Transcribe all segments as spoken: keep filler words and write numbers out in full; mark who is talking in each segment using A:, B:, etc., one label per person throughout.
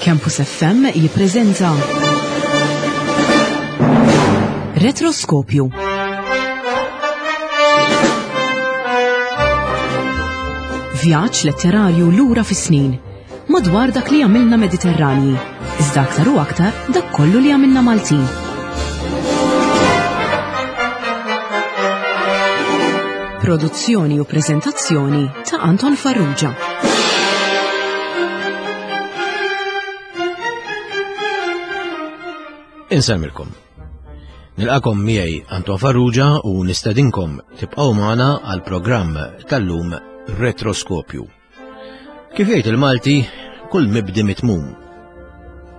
A: Campus F M jippreżenta Retroskopju. Vjaġġ letterarju lura fis-snin, madwar dak li għamilna Mediterranji, iżda aktar u aktar dak kollu li għamilna Maltin. Produzzjoni u preżentazzjoni ta' Anton Farrugia.
B: Insemmilkom. Nilqakom miegħi Anton Farrugia u nistedinkom tibqgħu magħna għal programm tal-lum Retroskopju. Kif jgħid il-Malti, kull mibdi mitmum.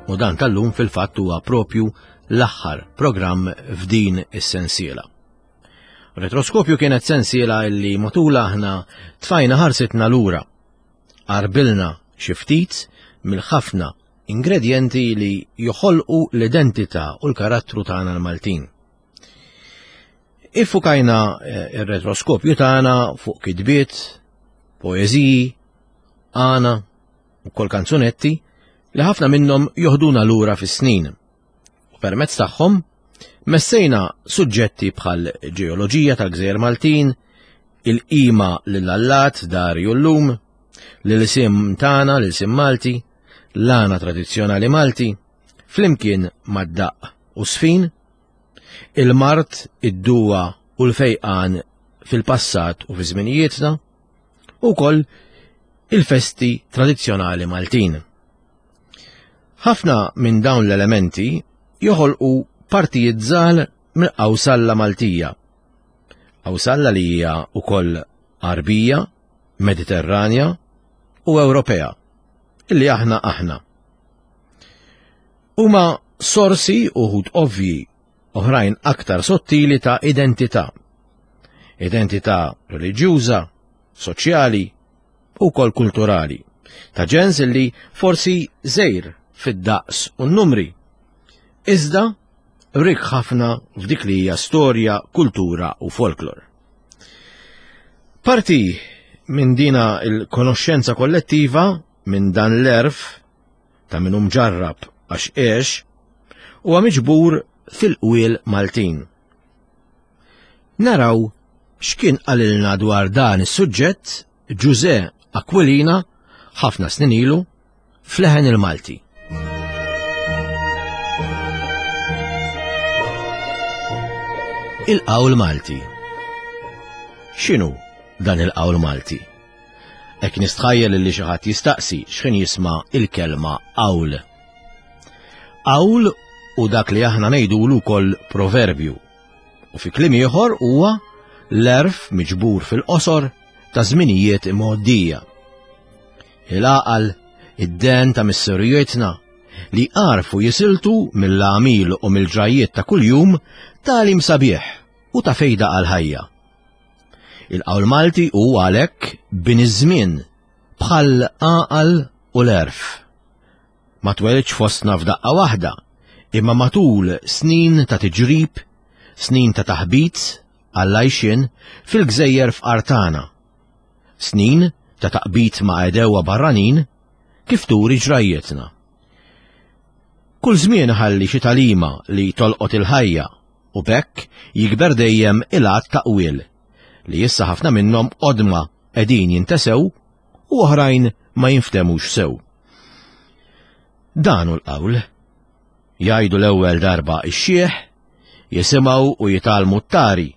B: U dan tal-lum fil-fatt huwa propju l-aħħar programm f'din is-sensiela. Retroskopju kienet sensiela illi matul aħna tfajna ħarsitna lura. Qarbilna xi ftit mill-ħafna ingredienti li joħolqu l-identità u l-karattru tagħna l-Maltin. Iffukajna ir-retroskopju tagħna fuq kitbiet, poeżiji, għana u kol kanzunetti li ħafna minnhom joħduna lura fis-snin. U permezz tagħhom messejna suġġetti bħal ġeoloġija tal-Gżejjer Maltin, il-qima lill-allat Darju llum, l-isim tagħna, l-isim Malti, l-għana tradizzjonali Malti, flimkien mad-daqq u sfin, il-mart, id-duwa u l-fejqan fil-passat u fi żminijietna, u wkoll il-festi tradizzjonali Maltin. Ħafna minn dawn l-elementi joħolqu partijiet żgħar mill-qawsalla Maltija. Qawsalla li hija wkoll Għarbija, Mediterranja u Ewropea, illi aħna aħna. Huma sorsi uħud ovvji, oħrajn aktar sottili ta' identità. Identità reliġjuża, soċjali u kol kulturali, ta' ġens illi forsi żejr fid-daqs u n-numri. Iżda rik ħafna f'dik li hija storja, kultura u folklor. Parti minn dina il-konoxxenza kollettiva, minn dan l-erf ta' min hu mġarrab għax għex, huwa miġbur fil-qwiel Maltin. Naraw x'kien qalilna dwar dan is-suġġett Ġużè Aquilina ħafna snin ilu f'Leħen il-Malti. Il-qawl Malti. X'inhu dan il-qawl Malti? Hekk nistħajjel li xi ħadd jistaqsi x'ħin jisma' il-kelma qawl. Qawl u dak li aħna ngħidulu wkoll proverbju. U fi kliem ieħor huwa l-erf miġbur fil-qosor ta' żminijiet imgħoddija. Il-għaqal, id-den ta' missirijietna li għarfu jisiltu mill-għamil u mill-ġrajiet ta' kuljum tagħlim sabiħ u ta' fejda għal-ħajja. Il-qawl Malti hu għalhekk bin iż-żmien bħal għaqal u l-erf. Ma twelidx fostna f'daqqa waħda, imma matul snin ta' tiġrib, snin ta' taħbit għall-għajxien fil-gżejjer f'Artana, snin ta' taqbit ma' għedewwa barranin kif turi ġrajjetna. Kull żmien ħalli xi tagħlima li tolqot il-ħajja u b'hekk jikber dejjem il-għadd ta' qwiel li issa ħafna minnhom qodma qegħdin jintesew u oħrajn ma jinftemux sew. Dan hu l-qawl. Jgħidu l-ewwel darba ix-xieħ, jisimgħu u jitgħallmu t-tari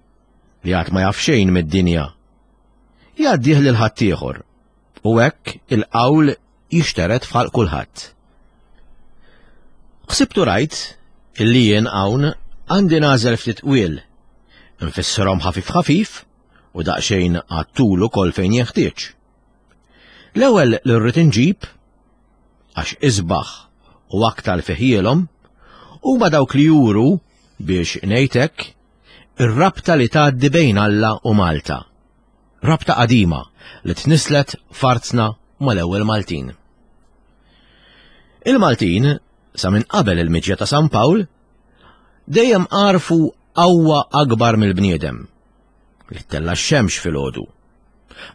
B: li għad ma jaf xejn mid-dinja. Jgħaddih lil ħaddieħor u hekk il-qawl jixteret f'ħalq kulħadd. Ħsibtu rajt illi jien hawn għandi nagħżel ftit qwiel, nfissirhom ħafif ħafif u daqsxejn għat-tul ukoll fejn jeħtieġ. L-ewwel li rrid inġib, għax isbaħ u aktar fiħielhom, huma dawk li juru biex ngħidlek ir-rabta li tgħaddi bejn Alla u Malta. Rabta qadima li tnislet f'artna mal-ewwel Maltin. Il-Maltin, sa minn qabel il-miġja ta' San Pawl, dejjem għarfu qawwa akbar mill-bniedem li ttella' x-xemx filgħodu,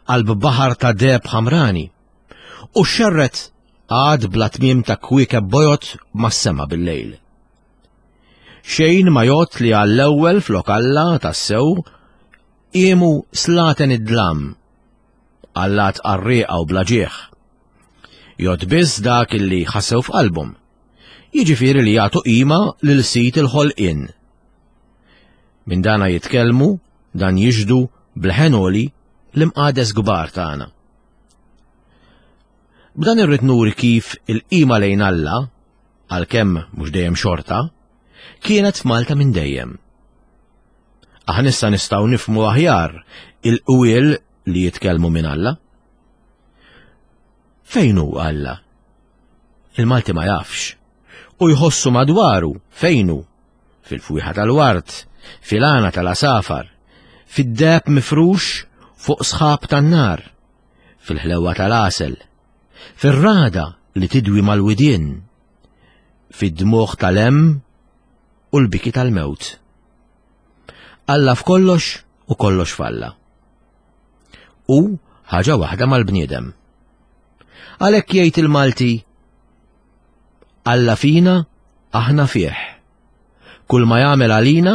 B: qalb baħar ta' deheb ħamrani, u xerret Għad bla tmiem ta' kwiekeb bojod mas-sema bil-lejl. Xejn ma jgħodd li għall-ewwel flok Alla tassew qiemu slaten id-dlam, allat qarrieqa u bla ġieħ. Jgħodd biss dak illi ħassew f'qalbhom, jiġifieri li jagħtu qima lil sid il-ħolqien. Minn dana jitkellmu, dan jixhdu b'leħen għoli l-imqades kbar tagħna. B'dan irrid nuri kif il-qima lejn Alla, għalkemm mhux dejjem xorta, kienet f'Malta minn dejjem. Aħna issa nistgħu nifhmu aħjar il-qwiel li jitkellmu minn Alla. Fejn hu Alla? Il-Malti ma jafx. U jħossu madwaru fejn hu? Fil-fwieħa tal-ward, fil-għana tal-għasafar, fid-deheb mifrux fuq sħab tan-nar, fil-ħlewa tal-għasel, fir-ragħda li tidwi mal-widien, fid-dmugħ tal-hemm u l-biki tal-mewt. Alla f'kollox u kollox f'Alla. U ħaġa waħda mal-bniedem. Għalhekk jgħid il-Malti, Alla fina, aħna fih. Kull ma jagħmel għalina,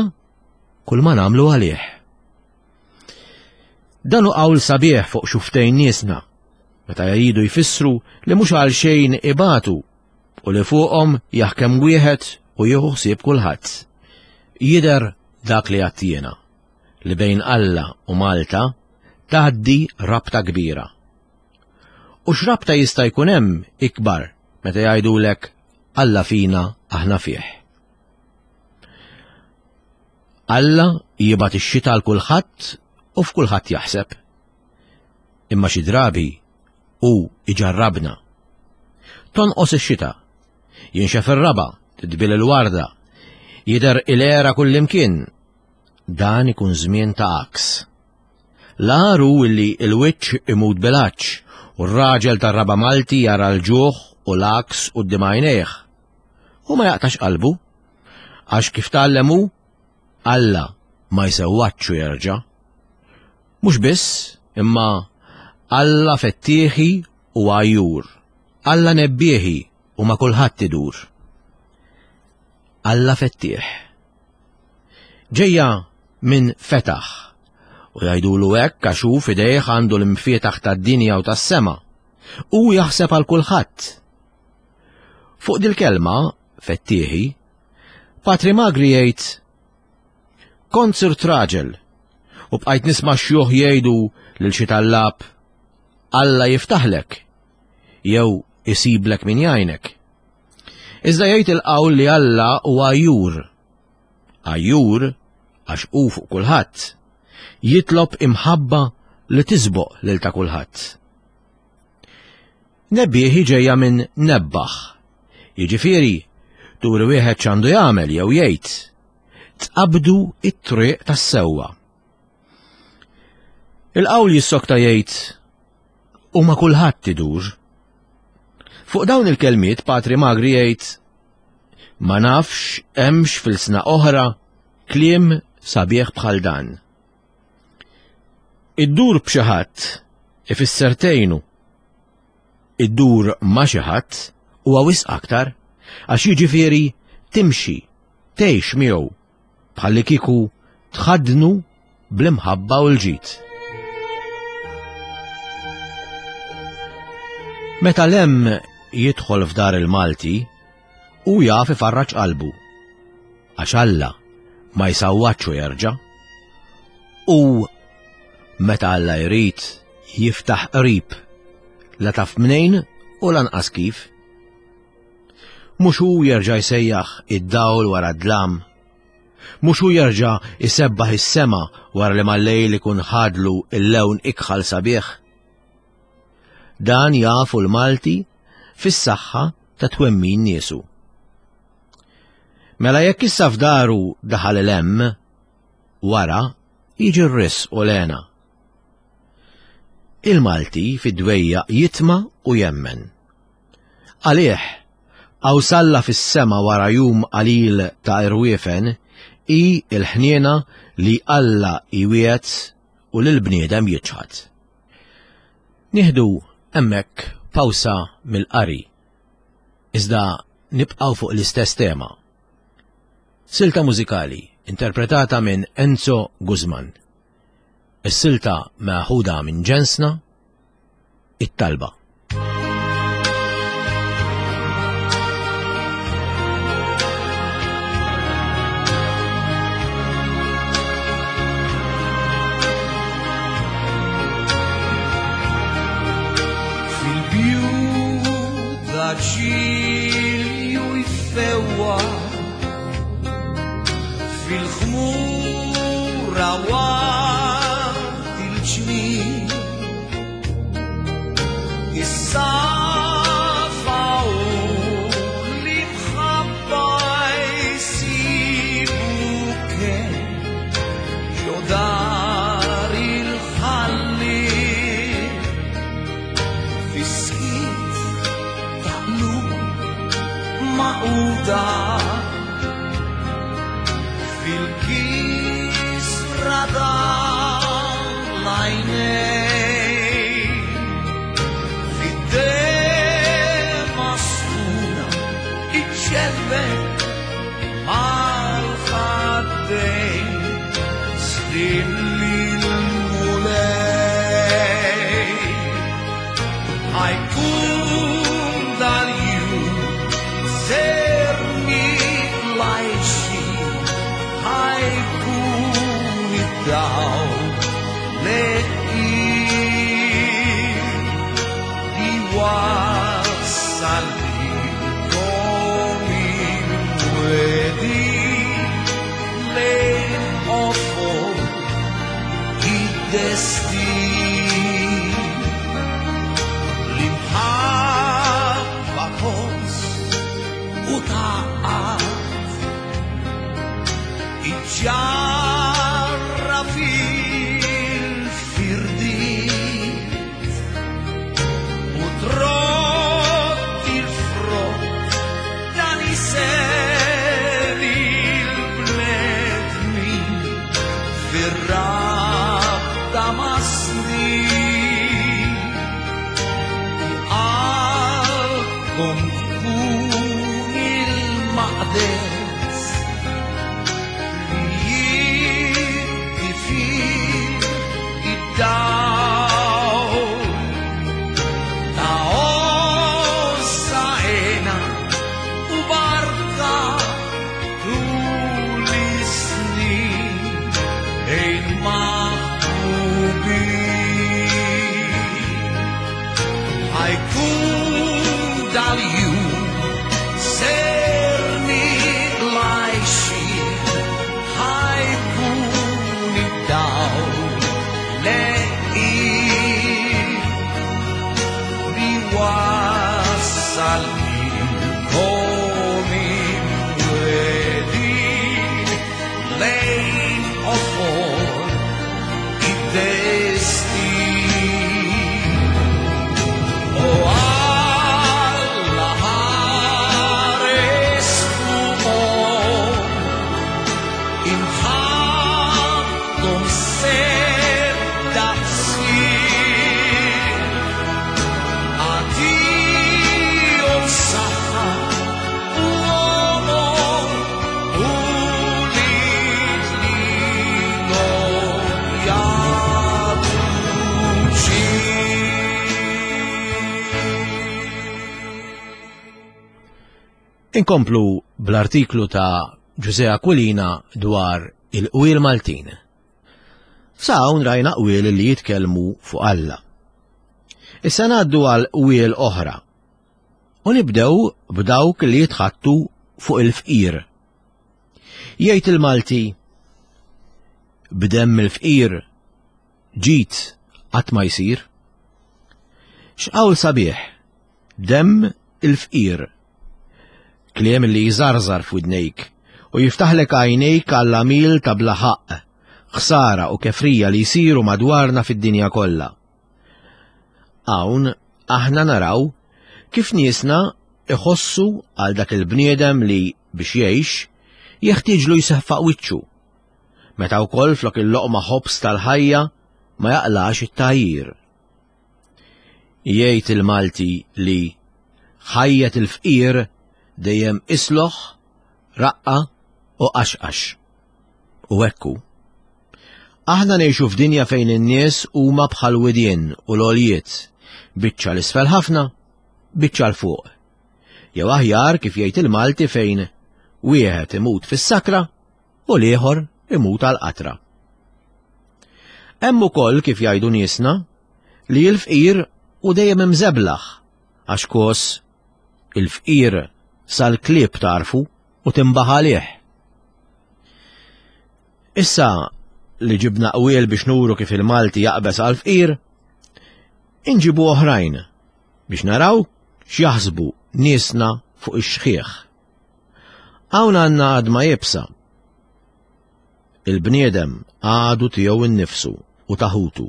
B: kull ma nagħmlu għalih. Dan hu qawl sabiħ fuq xuftejn niesna, meta jridu jfissru li mhux għal xejn ibatu u li fuqhom jaħkem wieħed u jieħu ħsieb kulħadd. Jidher dak li għedt jiena, li bejn Alla u Malta tgħaddi rabta kbira. U x'rabta jista' jkun hemm ikbar meta jgħidulek Alla fina aħna fih. Alla jibgħat ix-xita għal kulħadd u f'kulħadd jaħseb. Imma xi drabi hu iġarrabna. Tonqos ix-xita, jinxef ir-raba', tidbil il-warda, jidher il-għera kullimkien. Dan ikun żmien ta' għaks. L-agħar hu illi l-wiċċ imut bil-għatx u r-raġel tar-raba' Malti jara l-ġuħ u l-għaks quddiem għajnejh. U ma jaqtax qalbu, għax kif tgħallem hu, Alla ma jsewwadx u jerġa'. Mhux biss, imma Alla fettieħi u għajjur, Alla nebbieħi u ma kulħadd idur. Alla fettieħ. Ġejja minn fetaħ, u jgħidulu hekk għax hu f'idejh għandu l-imfietaħ tad-dinja u tas-sema, u jaħseb għal kulħadd. Fuq dil-kelma, fettieħi, Patri Magri jgħid, kont sirt raġel, u bqajt nisma' xjuħ jgħidu lil xi tallab, Alla jiftaħlek, jew isiblek min jgħinek. Iżda jgħid il-qawl li Alla huwa għajjur. Għajjur għax hu fuq kulħadd. Jitlob imħabba li tisboq lil ta' kulħadd. Nebbieħi ġejja minn nebbaħ. Jiġifieri, turi wieħed x'għandu jagħmel jew jgħid. Tqabdu it-triq tas-sewwa. Il-qawl jissokta jgħid u ma kulħadd idur. Fuq dawn il-kelmiet Patri Magri jgħid ma nafx hemmx f'ilsna oħra kliem sabiħ bħal dan. Iddur b'xi ħadd ifisser tgħinu. Iddur ma' xi ħadd huwa wisq aktar għax jiġifieri timxi, tgħix miegħu bħalli kieku tħaddnu bl-imħabba u l-ġid. Meta l-hemm jidħol f'dar il-Malti, hu jaf ifarraġ qalbu. Għax Alla ma jsawwatx u jerġa'. U meta Alla jrid jiftaħ qrib, la taf mnejn u lanqas kif. Mhux hu jerġa' jsejjaħ id-dawl wara d-dlam. Mhux hu jerġa' jsebbaħ is-sema wara li mal-lejl ikun ħadlu l-lewn ikħal sabiħ. Dan jafu l-Malti fis-saħħa ta' twemmin niesu. Mela jekk issa f'daru daħal il-hemm, wara jiġi r-risq u l-hena. Il-Malti fid-dwejjaq jitma' u jemmen. Għalih, qawsalla fis-sema wara jum qalil ta' irwiefen hi l-ħniena li Alla jwiegħed u lill-bniedem jiċħad. Nieħdu hemmhekk pawsa mill-qari. Iżda nibqgħu fuq l-istess tema. Silta mużikali interpretata minn Enzo Guzman. Is-silta meħuda minn ġensna, It-Talba.
C: Fil-bjut ġilju jfewwa fil-ħmura waqt il-ġmien is-safa u l-imħabba jsibu kemm ġo dar il-ħalli Fiskit ta' qlub maquda fil-kisra tal-għajnejn fid-dema sħuna iċċelbek mal-ħaddejn slim lil-Mulej. Ħajkun dal-jum ser nitlajxi, ħajkun id-dawl leqir li wassal lilkom il-mwedi lejn qofol id-destin. L-imħabba tgħożż u tgħaqqad iġġarra fil-firdiet u trodd il-frott ta' nisel il-bnedmin fir-rabta ma' snin. U qalbkom tkun il-maqdes li jiddi fih id-dawl ta' għożża hena u barka tul is-snin bejn maħbubin. Ħajkun dal-jum ser nitlajxin, ħajkun id-dawl leqir li wassal lilkom imwedin lejn qofol id-destin. O Alla ħares fuqhom, imħabbthom ser daqsir, agħtihom saħħa u għomor u lid lilhom jagħtu ġid.
B: Inkomplu bl-artiklu ta' Ġużè Aquilina dwar il-qwiel Maltin. Sa hawn rajna qwiel li jitkellmu fuq Alla. Issa ngħaddu għal qwiel oħra. U nibdew b'dawk li jitħattu fuq il-fqir. Jgħid il-Malti, b'demm il-fqir ġid qatt ma jsir. X'qawl sabiħ, demm il-fqir. Kliem li jżarżar f'widnejk u jiftaħlek għajnejk għall-għamil ta' bla ħaqq, ħsara u kefrija li jsiru madwarna fid-dinja kollha. Hawn aħna naraw kif niesna iħossu għal dak il-bniedem li biex jgħix jeħtieġlu jseħfaq wiċċu. Meta wkoll flok il-loqma ħobż tal-ħajja ma jaqlax it-tajjir. Jgħid il-Malti li Ħajjet il-fqir dejjem isloħ, raqqa u qaxqax. U ekku. Aħna ngħixu f'dinja fejn in-nies huma bħal widien u l-għoljiet, biċċa l-isfel ħafna, biċċa l fuq. Jew aħjar kif jgħid il-Malti fejn wieħed imut fis-sakra u l-ieħor imut għal qatra. Hemm ukoll kif jgħidu niesna li l-fqir u dejjem imżeblaħ għax kos il-fqir sal-klieb tarfu u timbaħ għalih. Issa li ġibna qwiel biex nuru kif il-Malti jaqbeż għal fqir, inġibu oħrajn biex naraw x'jaħsbu niesna fuq ix-xħieħ. Hawn għandna għadma jibsa. Il-bniedem għadu tiegħu innifsu u taħutu.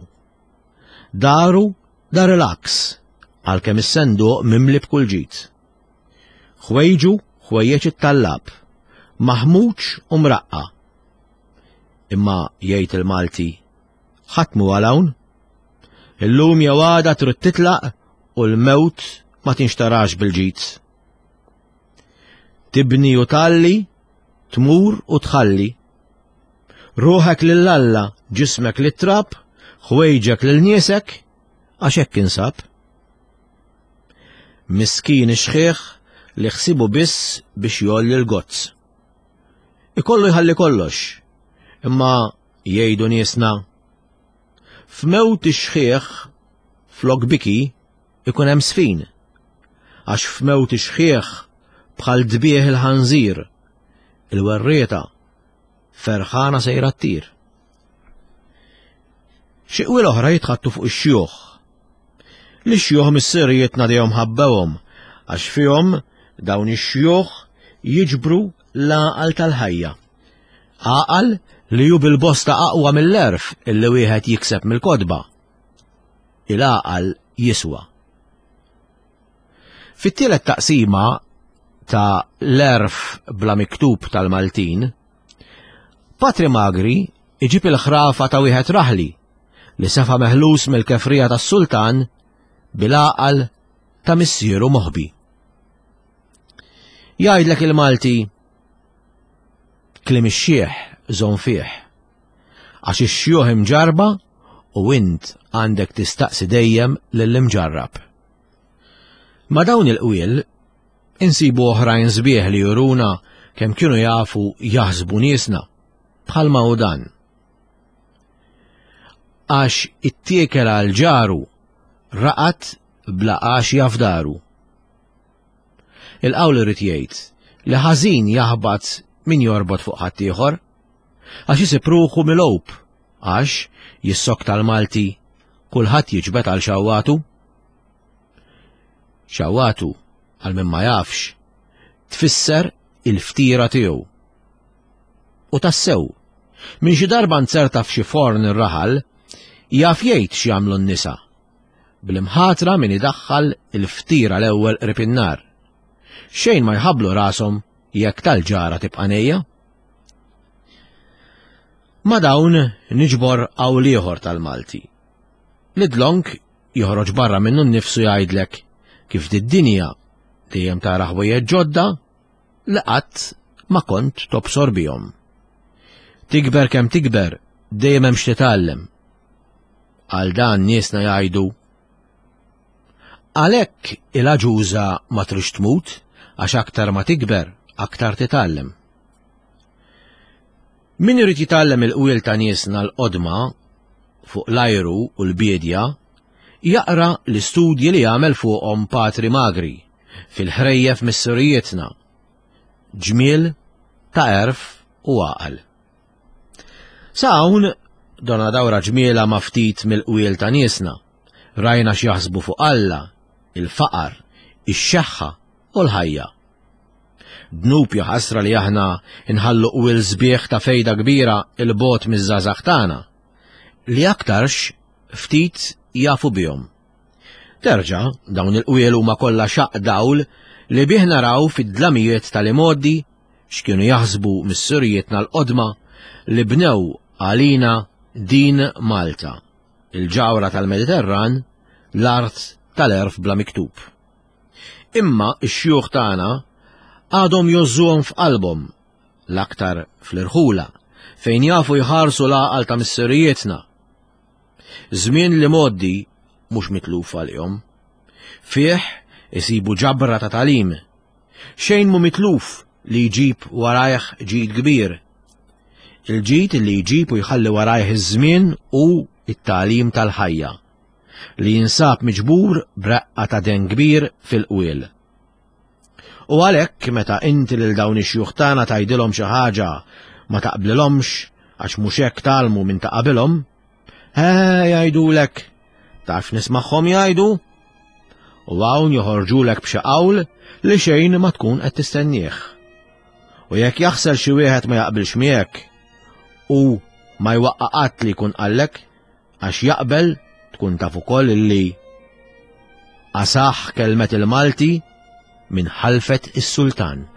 B: Daru dar relax għalkemm is-senduq mimli b'kull ġid. Ħwejġu ħwejjeġ it-tallab, maħmuġ u mraqqa. Imma jgħid il-Malti, ħadd mhu għal hawn. Illum jew għada trid titlaq u l-mewt ma tinxtarax bil-ġid. Tibni u talli, tmur u tħalli. Ruħek lil Alla, ġismek lit-trab, ħwejġek lil niesek, għax hekk insab. Miskin ix-xħiħ li ħsibu biss biex jolli l-gozz. Ikollu jħalli kollox, imma jgħidu niesna. F'mewt ix-xħiħ flok biki ikun hemm sfin, għax f'mewt ix-xħiħ bħal dbieħ il-ħanżir, il-werrieta ferħana sejra ttir. Xi qwiel oħra jitħattu fuq ix-xjuħ. Li xjuħ missirijietna dejjem ħabbewhom għax fihom dawn ix-xjuħ jiġbru l-għaqal tal-ħajja. Għaqal li hu bil-bosta aqwa mill-għerf illi wieħed jikseb mill-kotba. Il-għaqal jiswa. Fit-tielet taqsima ta' l-għerf bla miktub tal-Maltin, Patri Magri iġib il-ħrafa ta' wieħed raħli li sefa meħlus mill-kefrija tas-sultan bil-għaqal ta' missieru moħbi. Jgħidlek il-Malti, kliem ix-xiħ żomm fih, għax ix-xjuħ imġarba u int għandek tistaqsi dejjem lill-imġarrab. Ma' dawn il-qwiel insibu oħrajn sbieħ li juruna kemm kienu jafu jaħsbu niesna, bħalma hu dan. Għax ittiekel għal ġaru raqat bla għax jafdaru. Il-qawl irid jgħid li ħażin jaħbat min jorbot fuq ħaddieħor, għax isib ruħu milgħub, għax jissok tal-Malti kulħadd jiġbed għal xawwatu. Xawwatu, għal min ma jafx, tfisser il-ftira tiegħu. U tassew, minn xi darba nzerta f'xi forn ir-raħal, jaf jgħid x'jagħmlu n-nisa. Bl-imħatra min idaħħal il-ftira l-ewwel qrib in-nar. Xejn ma jħabblu rashom jekk tal-ġara tibqa' nejja. Ma dawn niġbor qawl ieħor tal-Malti. Li dlonk joħroġ barra minnu nnifsu jgħidlek kif did-dinja dejjem tara ħwejjeġ ġodda li qatt ma kont tobsor bihom. Tikber kemm tikber dejjem hemm x'titgħallem. Għal dan niesna jgħidu għalhekk il-aġuża ma trix tmut għax aktar ma tikber aktar titgħallem. Min irid jitgħallem il-qwiel ta' niesna l-qodma fuq l-ajru u l-biedja, jaqra l-istudji li jagħmel fuqhom Patri Magri fil-ħrejjef missirijietna, ġmiel ta' għerf u għaqal. Sa hawn donna dawra ġmiela ma' ftit mill-qwiel ta' niesna, rajna x'jaħsbu fuq Alla, il-faqar, ix-xeħħa u l-ħajja. Dnub ja ħasra li aħna nħallu qwiel sbieħ ta' fejda kbira il-bot miż-żgħażagħ tagħna, li aktarx ftit jafu bihom. Terġa' dawn il-qwiel huma kollha xaq dawl li bih naraw fid-dlamijiet tal-imgħoddi x'kienu jaħsbu missirijietna l-qodma li bnew għalina din Malta, il-ġawra tal-Mediterran, l-art tal-għerf bla miktub. Imma x-xjuħ tagħna għadhom jgħożżuhom f'qalbhom, l-aktar fl-irħula, fejn jafu jħarsu l-għaqal ta' missirijietna. Żmien li mgħoddi mhux mitluf għalihom. Fih isibu ġabra ta' tagħlim. Xejn mhu mitluf li jġib warajh ġid kbir. Il-ġid li jġib u jħalli warajh iż-żmien u it-tagħlim tal-ħajja, li jinsab miġbur b'reqqa ta' den kbir fil-qwiel. U għalhekk meta inti lil dawn ix-xjuħ tagħna tgħidilhom xi ħaġa ma taqblilhomx għax mhux hekk tgħallmu minn ta' qabilhom, he jgħidulek, taf nismagħhom jgħidu, u hawn joħorġulek b'xi qawl li xejn ma tkun qed tistennieh. U jekk jaħsel xi wieħed ma jaqbilx miegħek u ma jwaqqa' qatt li jkun qallek għax jaqbel, tkun taf ukoll illi asaħ kelmet il-Malti minn ħalfet is-Sultan.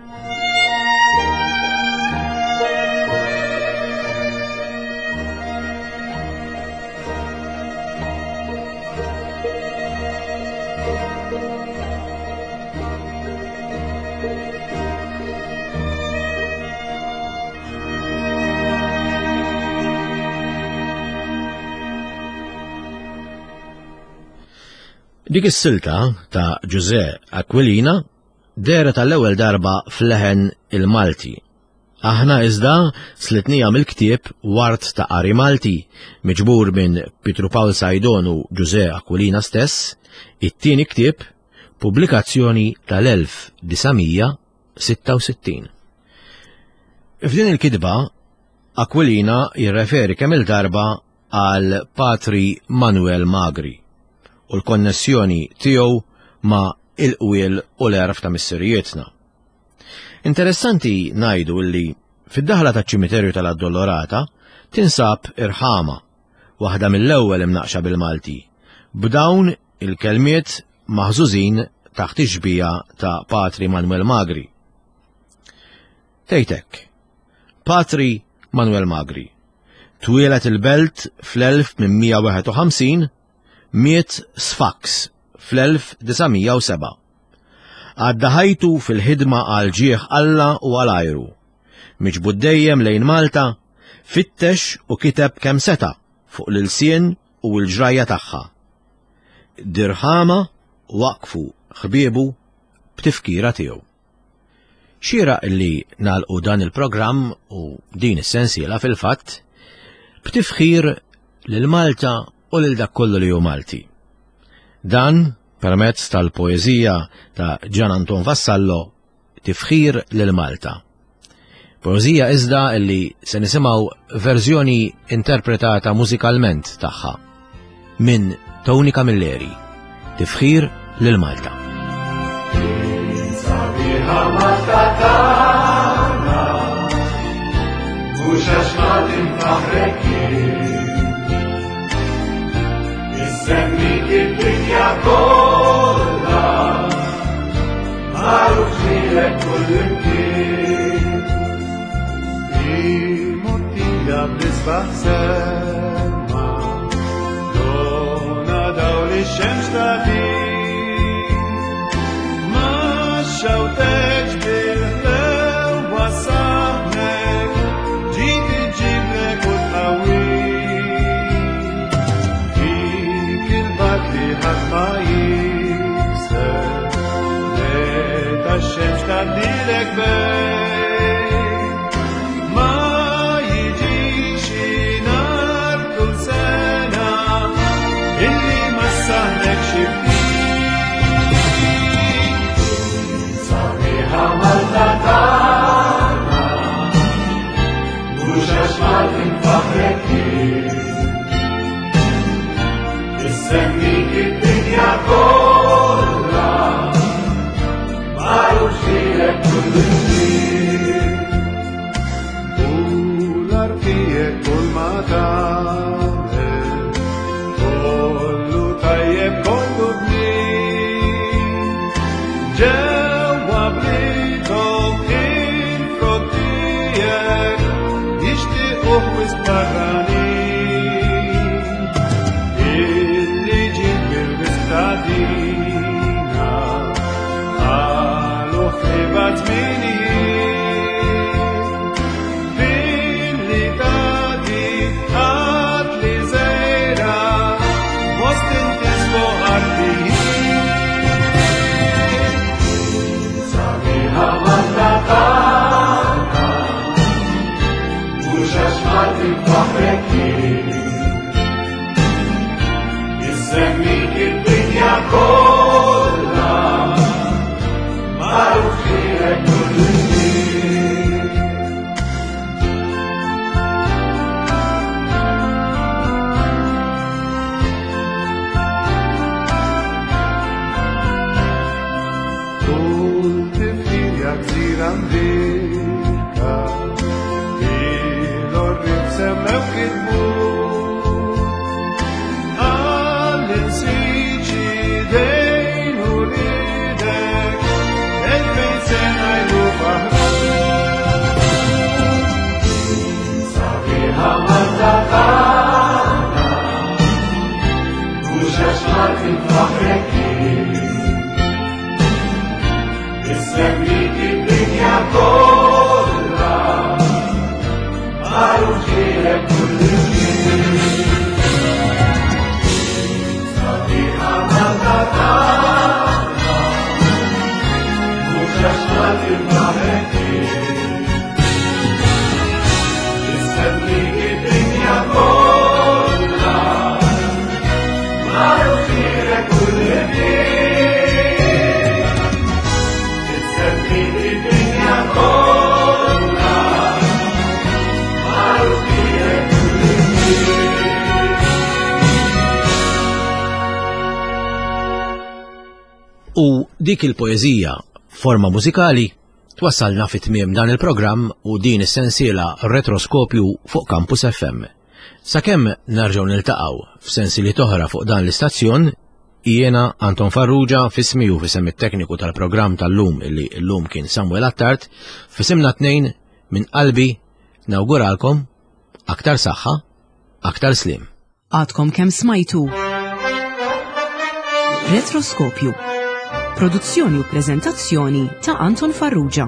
B: Dik is-silta ta' Ġużè Aquilina dehret għall-ewwel darba f'leħen il-Malti. Aħna iżda slitnija mill-ktieb Wart ta' Qari Malti, miġbur minn Pietru Pawl Saydon u Ġużè Aquilina stess, it-tieni ktieb, pubblikazzjoni tal-elf disa' mija sitta u sittin. F'din il-kitba, Aquilina jirreferi kemm il-darba għal Patri Manuel Magri u l-konnessjoni tiegħu ma' il-qwiel u l-għerf ta' missirijietna. Interessanti ngħidu li fid-daħla taċ-ċimiterju tal-Addolorata tinsab irħama, waħda mill-ewwel imnaqxa bil-Malti, b'dawn il-kelmiet maħżużin taħt ix-xbija ta' Patri Manuel Magri. Tgħidlek, Patri Manuel Magri, twieled il-Belt fl-elf tmien mija wieħed u ħamsin, miet Sfax fl-elf disa' mija u seba'. Għadda ħajtu fil-ħidma għal ġieħ Alla u għal ajru. Miġbud dejjem lejn Malta, fittex u kiteb kemm seta' fuq l-ilsien u l-ġrajja tagħha. Dirħama waqfu ħbiebu b'tifkira tiegħu. Xieraq li nagħlqu dan il-programm u din is-sensiela fil-fatt b'tifħir lil Malta u lil dak kollu li hu Malti. Dan permezz tal-poeżija ta' Gian Anton Vassallo, Tifħir lil Malta. Poeżija iżda li se nisimgħu verżjoni interpretata mużikalment tagħha minn Tony Camilleri. Tifħir lil Malta.
C: Sabiħa Malta tagħna, mhux għax Malti nfaħrek jien. Semmik id-dinja kollha, magħruf lilek kull imkien. Immottija bl-isbaħ semma, dona dawl ix-xemx tagħtik. Ma xawtekx bil-ħlew wasaħnek, ġiet iġiblek u tqawwik. Fik il-bagħad li ħadd ma jikser, meta x-xemx tgħaddilek bejn. Ma jiġix nhar kull sena illi ma ssaħnek xi ftit. Sabiħa Malta tagħna, mhux għax Malti nfaħrek jien. Issemmik id-dinja kollha, magħruf lilek kull imkien.
B: U dik il-poeżija forma mużikali twassalna fi tmiem dan il-programm u din is-sensiela Retroskopju fuq Campus F M. Sakemm nerġgħu niltaqgħu f'sensiliet oħra fuq dan l-istazzjon, jiena Anton Farrugia, f'ismi u f'isem it-tekniku tal-programm tal-lum, illi llum kien Samuel Attard, f'isimna tnejn, minn qalbi nawguralkom aktar saħħa, aktar slim.
A: Għadkom kemm smajtu Retroskopju. Produzzjoni u prezentazzjoni ta' Anton Farrugia.